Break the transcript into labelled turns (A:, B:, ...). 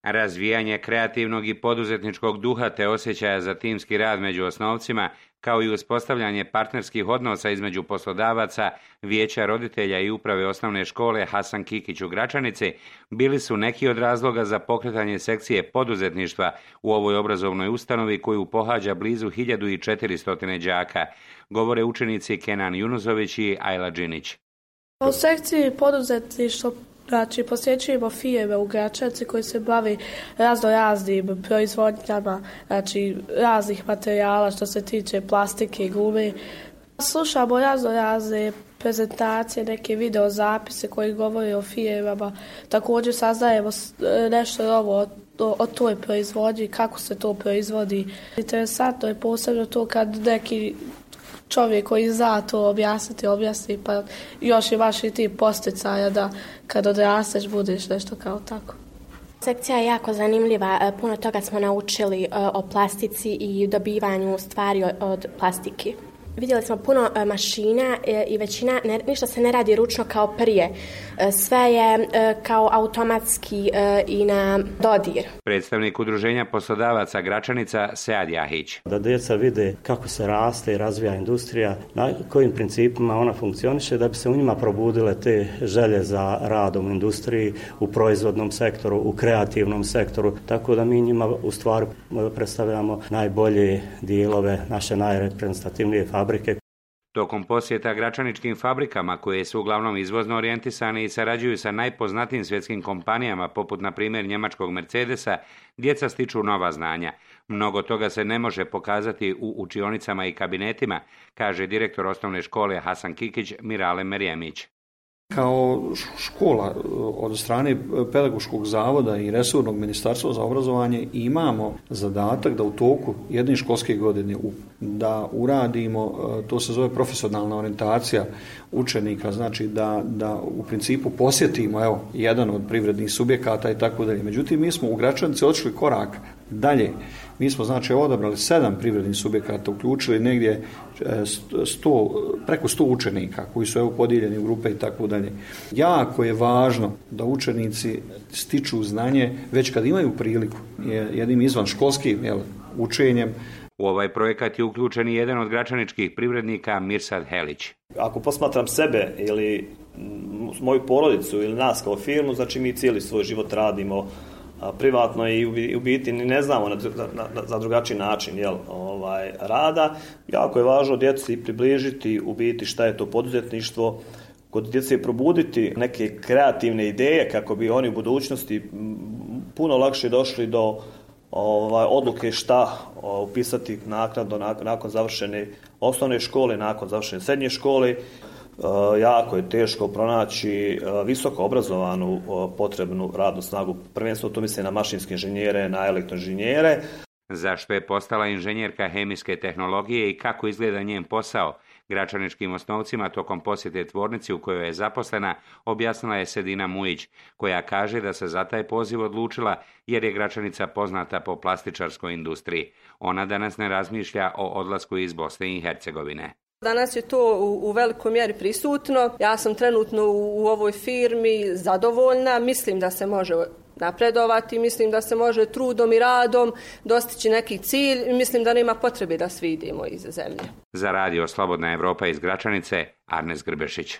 A: Razvijanje kreativnog i poduzetničkog duha te osjećaja za timski rad među osnovcima, kao i uspostavljanje partnerskih odnosa između poslodavaca, vijeća roditelja i uprave osnovne škole Hasan Kikić u Gračanici, bili su neki od razloga za pokretanje sekcije poduzetništva u ovoj obrazovnoj ustanovi koju pohađa blizu 1400 đaka, govore učenici Kenan Junuzović i Ajla Đinić.
B: U sekciji poduzetništva posjećujemo firme u Gračanici koji se bavi raznim proizvodnjama, raznih materijala što se tiče plastike i gume. Slušamo razne prezentacije, neke video zapise koji govore o firmama. Također saznajemo nešto novo o toj proizvodnji, kako se to proizvodi. Interesantno je posebno to kad neki čovjek koji zna to objasni, pa još imaš i ti posticaja da kad odrasteš budeš nešto kao tako.
C: Sekcija je jako zanimljiva, puno toga smo naučili o plastici i dobivanju stvari od plastike. Vidjeli smo puno mašina i većina, ništa se ne radi ručno kao prije. Sve je kao automatski i na dodir.
A: Predstavnik udruženja poslodavaca Gračanica Sead Jahić.
D: Da djeca vide kako se raste i razvija industrija, na kojim principima ona funkcioniše, da bi se u njima probudile te želje za radom u industriji, u proizvodnom sektoru, u kreativnom sektoru. Tako da mi njima u stvari predstavljamo najbolje dijelove naše najreprezentativnije fabrike.
A: Tokom posjeta gračaničkim fabrikama, koje su uglavnom izvozno orijentisane i sarađuju sa najpoznatijim svjetskim kompanijama, poput na primjer njemačkog Mercedesa, djeca stiču nova znanja. Mnogo toga se ne može pokazati u učionicama i kabinetima, kaže direktor osnovne škole Hasan Kikić Mirale Merijemić.
E: Kao škola od strane Pedagoškog zavoda i resornog ministarstva za obrazovanje imamo zadatak da u toku jedne školske godine da uradimo, to se zove profesionalna orijentacija učenika, znači da u principu posjetimo jedan od privrednih subjekata i tako dalje. Međutim, mi smo u Gračanici odšli korak dalje. Mi smo odabrali 7 privrednih subjekata, uključili negdje preko 100 učenika koji su podijeljeni u grupe i tako dalje. Jako je važno da učenici stiču znanje već kad imaju priliku jednim izvan školskim učenjem.
A: U ovaj projekat je uključen i jedan od gračaničkih privrednika Mirsad Helić.
F: Ako posmatram sebe ili moju porodicu ili nas kao firmu, znači mi cijeli svoj život radimo privatno i u biti ne znamo za drugačiji način rada. Jako je važno djeci približiti u biti šta je to poduzetništvo, kod djece probuditi neke kreativne ideje kako bi oni u budućnosti puno lakše došli do odluke šta upisati naknadno nakon završene osnovne škole, nakon završene srednje škole. Jako je teško pronaći visoko obrazovanu potrebnu radnu snagu. Prvenstveno to misli na mašinske inženjere, na elektroinženjere.
A: Zašto je postala inženjerka hemijske tehnologije i kako izgleda njen posao? Gračaničkim osnovcima tokom posjete tvornici u kojoj je zaposlena objasnila je Sedina Mujić, koja kaže da se za taj poziv odlučila jer je Gračanica poznata po plastičarskoj industriji. Ona danas ne razmišlja o odlasku iz Bosne i Hercegovine.
G: Danas je to u velikoj mjeri prisutno. Ja sam trenutno u ovoj firmi zadovoljna. Mislim da se može napredovati, mislim da se može trudom i radom dostići neki cilj i mislim da nema potrebe da svi idemo iz zemlje.
A: Za radio Slobodna Evropa iz Gračanice, Arnes Grbešić.